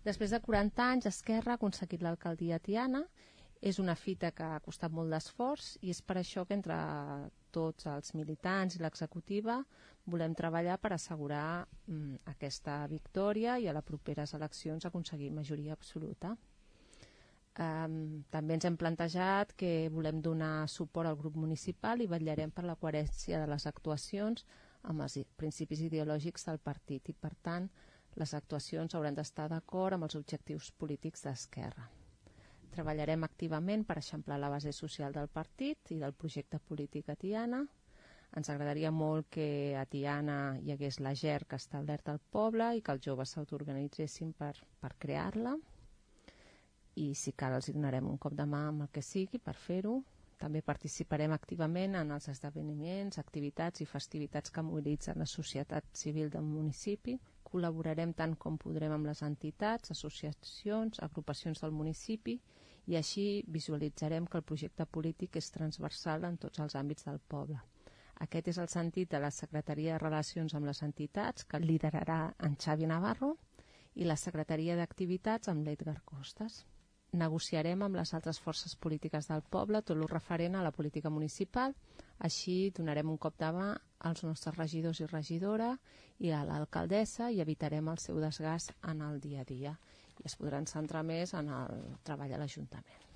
Després de 40 anys, Esquerra ha aconseguit l'alcaldia a Tiana. És una fita que ha costat molt d'esforç i és per això que entre tots els militants i l'executiva volem treballar per assegurar aquesta victòria i a les properes eleccions aconseguir majoria absoluta. També ens hem plantejat que volem donar suport al grup municipal i vetllarem per la coherència de les actuacions amb els principis ideològics del partit i, per tant, les actuacions hauran d'estar d'acord amb els objectius polítics d'Esquerra. Treballarem activament per eixamplar la base social del partit i del projecte polític a Tiana. Ens agradaria molt que a Tiana hi hagués la GER que està alerta al poble i que els joves s'autoorganitzessin per crear-la. I si cal els donarem un cop de mà amb el que sigui per fer-ho. També participarem activament en els esdeveniments, activitats i festivitats que mobilitzen la societat civil del municipi. Col·laborarem tant com podrem amb les entitats, associacions, agrupacions del municipi i així visualitzarem que el projecte polític és transversal en tots els àmbits del poble. Aquest és el sentit de la Secretaria de Relacions amb les Entitats, que liderarà en Xavi Navarro, i la Secretaria d'Activitats amb l'Edgar Costas. Negociarem amb les altres forces polítiques del poble tot el referent a la política municipal, així donarem un cop de mà als nostres regidors i regidora i a l'alcaldessa i evitarem el seu desgast en el dia a dia i es podran centrar més en el treball a l'Ajuntament.